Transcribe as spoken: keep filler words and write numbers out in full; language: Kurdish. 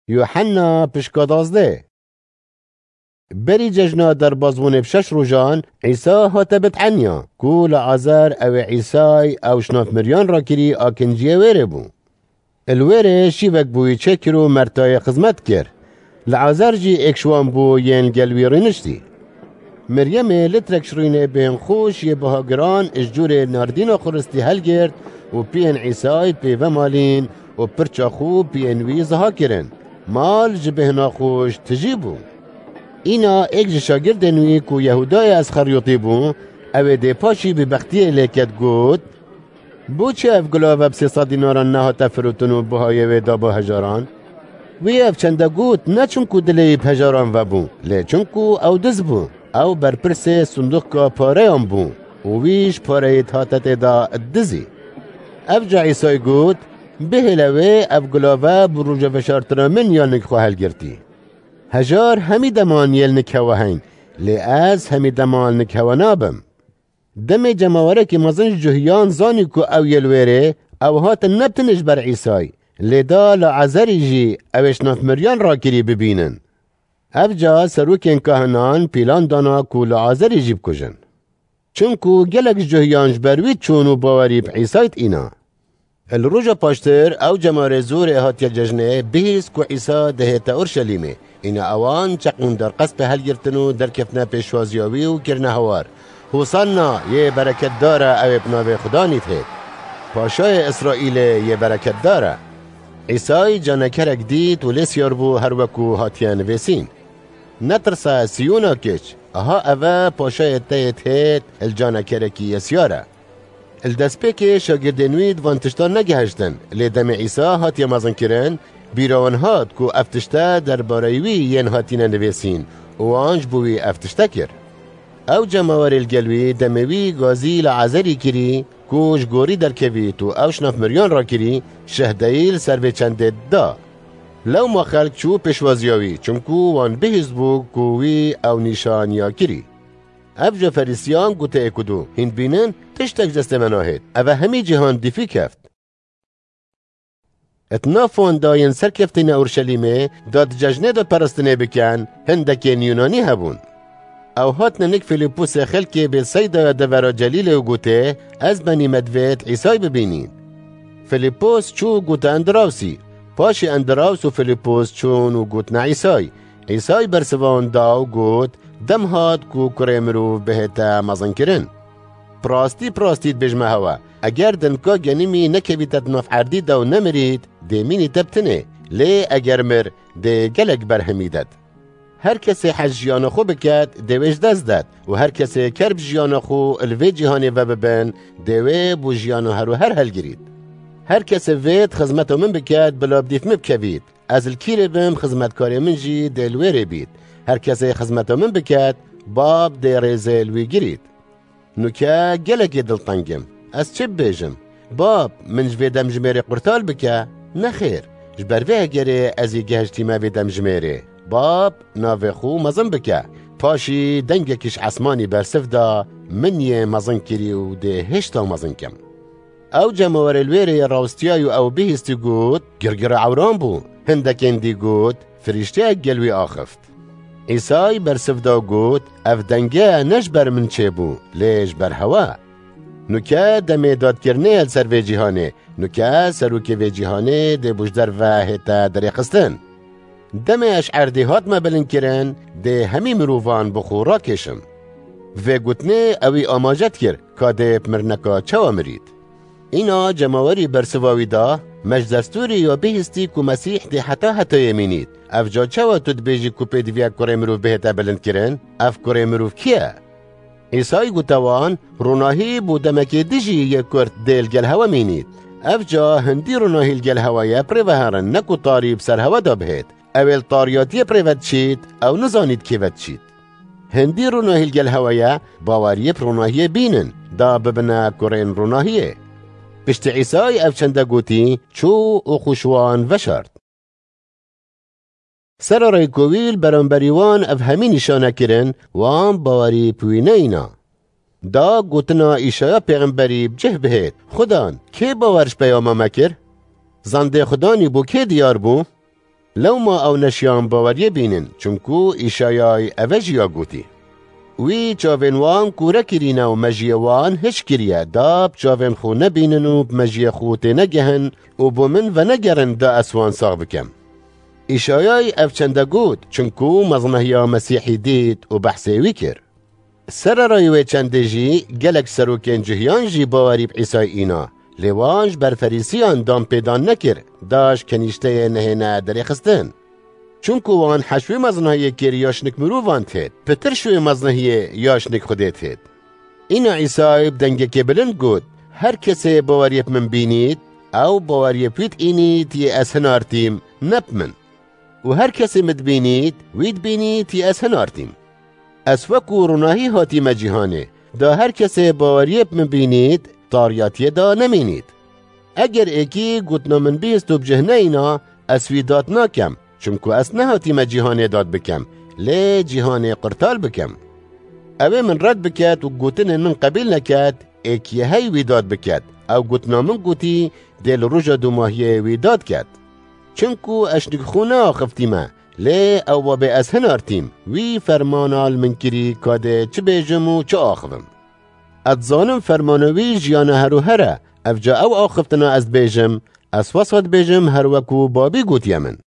Yuhenna pişka dazdeh. Berî cejna derbazbûnê bi şeş rojan, Îsa hate bit'enya, ku li Azer ew ê Îsay ew ji nav miriyan rakirî a kinciyê wêrê bû. Li wêrê şîvek bûyî çêkir û Mertayê xizmet kir. Li Azer jî êk ji wan bû yên gel wî rîniştî. Meryemê litrek şirînê bên xweş yê biha giran ji cûrê nardîna xuristî helgirt û piyên Îsay pê vemalîn û pirça xwe piyên wî ziha kirin. Mal ji bêhna xweş tijî bû. Îna êk ji şagirdên wî ku Yehûdayê Esxeryotî bû, ew ê dê paşî bêbextiyê lê ket got, Bo çi ev gulave bi sê sed dînaran nehate firotin û bihayê wê da bo hejaran? Wî ev çende got, ne çimku dilê wî bi hejaran vebû, lê çimku ew diz bû. Ew berpirsê sindoqka pareyan bû û wî ji pareyê dihate tê de dizî. Ev ca Îsay got, Bihêle wê ev gulave bi roja veşartina min ya nik xwe helgirtî. Hejar hemî deman yê li nik hewe heyn, lê ez hemî deman nik hewe nabim. Demê cemawerekî mezin ji cuhiyan zanî ku ew yê li wêrê, ew hatin ne bi tenê ji ber Îsay, lê da li Azerî jî ew ê ji nav miriyan rakirî bibînin. Ev ca serokên kahinan pîlan dana ku li Azerî jî bikujin. Çimku gelek ji cuhiyan ji ber wî çûn û bawerî bi Îsay dîna. Li roja paştir ew cemawerê zorê hatiye cejnê bihîst ku Îsa dihête Urşelîmê. Îna ewan çeqûn derqespê helgirtin û derkeftine pêşwaziya wî û kirine hewar, Hosanna, yê bereketdar e ew ê bi navê Xudanî dihêt. Paşayê Îsraîlê yê bereketdar e. Îsay canekerek dît û lê siyar bû her wekû hatiye nivêsîn. Netirse Siyona kiç, aha ev e paşayê te yê dihêt, li canekerekî yê siyar e. Li destpêkê şagirdên wî di van tiştan negehiştin, lê demê Îsa hatiye mezinkirin, bîra wan hat ku ev tişte derbareyî wî yên hatine nivêsîn û wan ji bo wî ev tişte kir. Ew cemawerê li gel wî demê wî gazî li Azerî kirî ku ji gorî derkevît û ew ji nav miriyan rakirî, şehdeyî li ser vê çendê da. Lewma xelk çû pêşwaziya wî, çimku wan bihîst bû ku wî ew nîşaniya kirî. Ev ji Ferîsiyan gote êk û du, Hîn dibînin, tiştek ji destê me nahêt. Ev e hemî cîhan dîfî keft. Di nav wan de yên serkeftîne Urşelîmê, da di cejnê de peristinê bikin, hindekên Yunanî hebûn. Ew hatine nik Filîpusê xelkê Bêtseydaya devera Celîlê û gotê, Ez benî me divêt Îsay bibînîn. Filîpus çû û gote Endirawsî. Paşê Endiraws û Filîpus çûn û gotine Îsay. Îsay bersiva wan da û got, Dem hat ku kurê mirov bihête mezinkirin. Bi rastî, bi rastî dibêjime hewe, eger di nika genimî nekevîte di nav erdî de û nemirît, dê mînîte bi tinê, lê eger mir, dê gelek berhemî det. Her kesê hez jiyana xwe biket, dê wê ji dest det û her kesê kerb jiyana xwe li vê cîhanê vebibin, dê wê bo jiyana her û her helgirît. Her kesê vêt xizmeta min biket, bila bi dîf min bikevît. Ez li kîrê bim, xizmetkarê min jî dê li wêrê bît. Her kesê xizmeta min biket, Bab dê rêzê li wî girît. Nuke gelekê dilteng im. Ez çi bibêjim? Bab, min ji vê demjimêrê qurtal bike? Nexêr. Ji ber vê hegerê ez ê gehiştîme vê demjimêrê. Bab, navê xwe mezin bike. Paşî dengekî ji esmanî bersiv da, Min yê mezin kirî û dê hêşta mezin kim. Ew cemawerê li wêrê yê rawestiyayî û ew bihîstî got, Girgira ewran bû. Hindekên dî got, Firîşteyek gel wî axift. Îsay bersiv da û got, Ev denge ne ji ber min çêbû, lê ji ber hewe. Nuke demê dadkirinê ye li ser vê cîhanê. Nuke serokê vê cîhanê dê bo ji derve hête derêxistin. Demê ez ji erdê hatime bilindkirin, dê hemî mirovan bi xwe rakêşim. Vê gotinê ewî amaje dikir, ka dê bi mirineka çawa mirît. Îna cemawerî bersiva wî da, Me ji destûrê ya bihîstî ku Mesîh dê heta hetayê mînît. Ev ca çawa tu dibêjî ku pêdiviya kurê mirov bihête bilindkirin? Ev kurê mirov kî ye? Îsay gote wan, Ronahî bo demekê dijî yê kurt dê li gel hewe mînît. Ev ca hindî ronahî li gel hewe ye bi rê ve herin, ne ku tarî bi ser hewe de bihêt. Ew ê li tariyatiyê bi rê ve diçît, ew nizanît kê ve diçît. Hindî ronahî li gel hewe ye, baweriyê bi ronahiyê bînin, da bibine kurên ronahiyê. Piştî Îsay ev çende gotî, çû û xwe ji wan veşart. Sera rêkû wî li beramberî wan ev hemî nîşane kirin, wan bawerî bi wî neyna. Da gotina Îşaya pêxemberî bi cih bihêt, Xudan, kê bawer ji peyama me kir? Zandê Xudanî bo kê diyar bû? Lewma ew neşiyan baweriyê bînin, çinku Îşayay eve jî ya gotî. Wî çavên wan kûre kirîne û mejiyê wan hiş kiriye, da bi çavên xwe nebînin û bi mejiyê xwe tênegehin û bo min venegerin da ez wan sax bikem. Îşayay ev çende got, çinku meznehiya Mesîhî dît û behsê wî kir. Sererayî wê çendê jî gelek serokên cihiyan jî bawerî bi Îsay îna, lê wan ji ber Ferîsiyan dan pêdan nekir, da ji kenîşteyê nehêne derêxistin. Çunku wan heş wê meznahiyê kêrî ya şnik mirovan têt, pitir ji wê meznahiyê ya şnik Xwedê têt. Îna Îsay bi dengekê bilind got, Her kesê baweriyê bi min bînît, ew baweriyê bi wî diînît yê ez hinartîm, ne bi min. Û her kesê min dibînît, wî dibînît yê ez hinartîm. Ez wekû ronahî hatîme cîhanê, da her kesê baweriyê bi min bînît, tariyatiyê da nemînît. Eger êkî gotina min bihîst û bi cih neyna, ez wî dad nakem, çimku ez nehatîme cîhanê dad bikem, lê cîhanê qurtal bikem. Ewê min red biket û gotinên min qebîl neket, êkiyê hey wî dad biket, ew gotina min gotî, dê li roja dûmahiyê wî dad ket. Çimku ez şnik xwe neaxiftîme, lê ew wabê ez hinartîm, wî fermana li min kirî ka dê çi bêjim û çi axivim. Ez dizanim fermana wî jiyana her û her e, evca ew axiftina ez dibêjim, ez wesa dibêjim her wekû babî gotiye min.